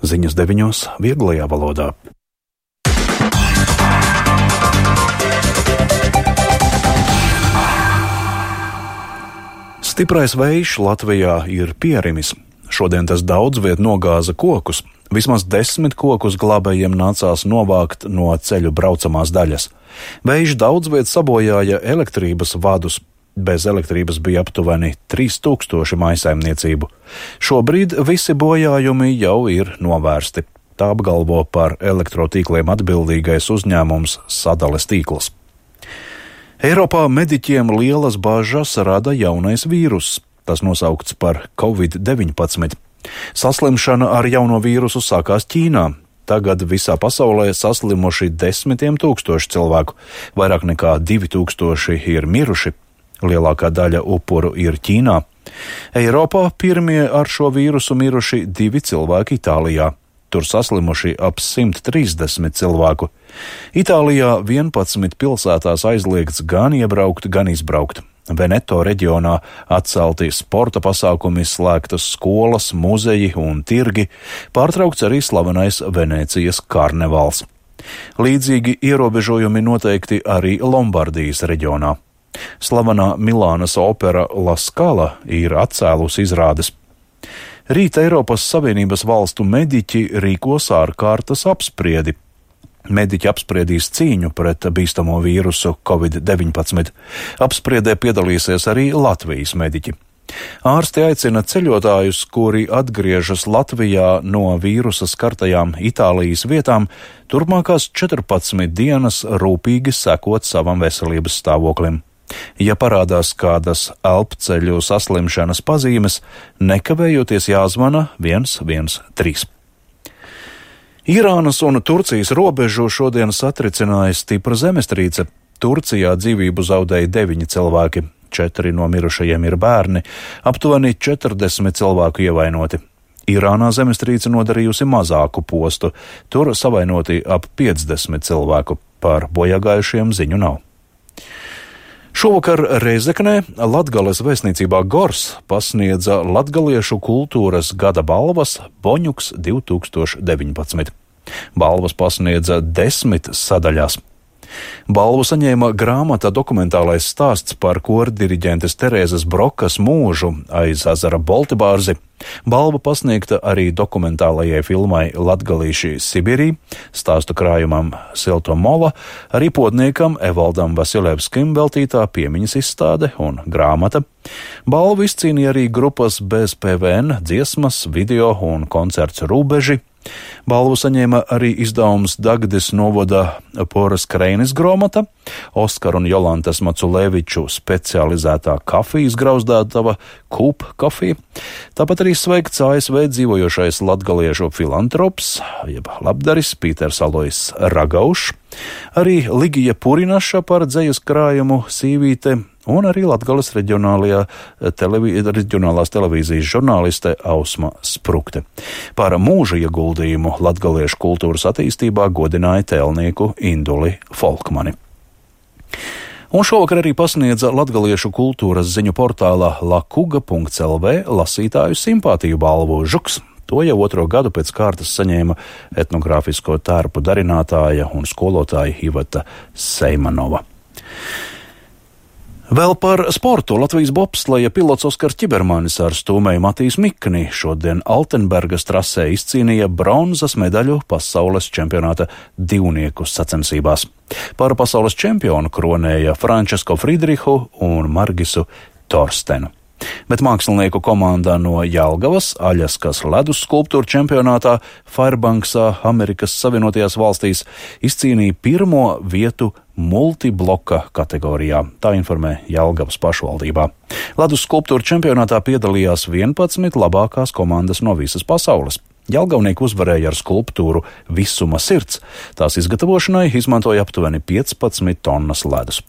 Ziņas 9. vieglajā valodā. Stiprais vējš Latvijā ir pierimis. Šodien tas daudz viet nogāza kokus. Vismaz 10 kokus glābējiem nācās novākt no ceļu braucamās daļas. Vējš daudz viet sabojāja elektrības vadus. Bez elektrības bija aptuveni 3000 mājsaimniecību. Šobrīd visi bojājumi jau ir novērsti. Tā apgalvo par elektrotīkliem atbildīgais uzņēmums Sadales tīkls. Eiropā mediķiem lielas bažas rada jaunais vīruss. Tas nosaukts par Covid-19. Saslimšana ar jauno vīrusu sākās Ķīnā. Tagad visā pasaulē saslimuši 10 000 cilvēku. Vairāk nekā 2000 ir miruši. Lielākā daļa upuru ir Ķīnā. Eiropā pirmie ar šo vīrusu miruši 2 cilvēki Itālijā. Tur saslimuši ap 130 cilvēku. Itālijā 11 pilsētās aizliegts gan iebraukt, gan izbraukt. Veneto reģionā atcelti sporta pasākumi, slēgtas skolas, muzeji un tirgi, pārtraukts arī slavenais Venēcijas karnevāls. Līdzīgi ierobežojumi noteikti arī Lombardijas reģionā. Slavenā Milānas opera La Scala ir atcēlusi izrādes. Rīt Eiropas Savienības valstu mediķi rīkos ārkārtas apspriedi. Mediķi apspriedīs cīņu pret bīstamo vīrusu Covid-19. Apspriedē piedalīsies arī Latvijas mediķi. Ārsti aicina ceļotājus, kuri atgriežas Latvijā no vīrusa skartajām Itālijas vietām, turpmākās 14 dienas rūpīgi sekot savam veselības stāvoklim. Ja parādās kādas elpceļu saslimšanas pazīmes, nekavējoties jāzvana 113. Irānas un Turcijas robežu šodien satricināja stipra zemestrīce. Turcijā dzīvību zaudēja 9 cilvēki, 4 no mirušajiem ir bērni, aptuveni 40 cilvēku ievainoti. Irānā zemestrīce nodarījusi mazāku postu, tur savainoti ap 50 cilvēku, par bojāgājušiem ziņu nav. Šovakar Rēzeknē Latgales vēstniecībā Gors pasniedza latgaliešu kultūras gada balvas Boņuks 2019. Balvas pasniedza 10 sadaļās. Balvu saņēma grāmata Dokumentālais stāsts par kordiriģentes Terēzes Brokas mūžu aiz ezera Boltibārzi. Balva pasniegta arī dokumentālajai filmai Latgalīši Sibirī, stāstu krājumam Silto Mola, arī podniekam Evaldam Vasiljevskim veltītā piemiņas izstāde un grāmata. Balvu izcīnīja arī grupas bez PVN, dziesmas, video un koncerts Rūbeži. Balvu saņēma arī izdevums Dagdes novada Poras Kreinis gromata, Oskar un Jolantas Maculēviču specializētā kafijas grauzdātava Kūp kafija. Tāpat arī sveikts ASV dzīvojošais latgaliešu filantrops, jeb labdaris Pīters Alojs Ragaušs, arī Ligija Purinaša par dzejas krājumu Sīvīte un arī Latgales reģionālās televīzijas žurnāliste Ausma Sprukte. Par mūža ieguldījumu latgaliešu kultūras attīstībā godināja tēlnieku Induli Folkmani. Un šovakar arī pasniedza latgaliešu kultūras ziņu portāla lakuga.lv lasītāju simpātiju balvu Žuks. To jau 2. gadu pēc kārtas saņēma etnogrāfisko tērpu darinātāja un skolotāja Iveta Seimanova. Vēl par sportu. Latvijas bobsleja pilots Oskars Ķibermanis ar stūmēju Matīs Mikni šodien Altenbergas trasē izcīnīja bronzas medaļu pasaules čempionāta divnieku sacensībās. Par pasaules čempionu kronēja Frančesko Friedrihu un Margisu Torstenu. Bet mākslinieku komandā no Jelgavas Aļaskas ledus skulptūru čempionātā Fairbanksā, Amerikas Savienotajās valstīs, izcīnīja 1. vietu multibloka kategorijā. Tā informē Jelgavas pašvaldībā. Ledus skulptūru čempionātā piedalījās 11 labākās komandas no visas pasaules. Jelgavnieki uzvarēja ar skulptūru Visuma sirds. Tās izgatavošanai izmantoja aptuveni 15 tonnas ledus.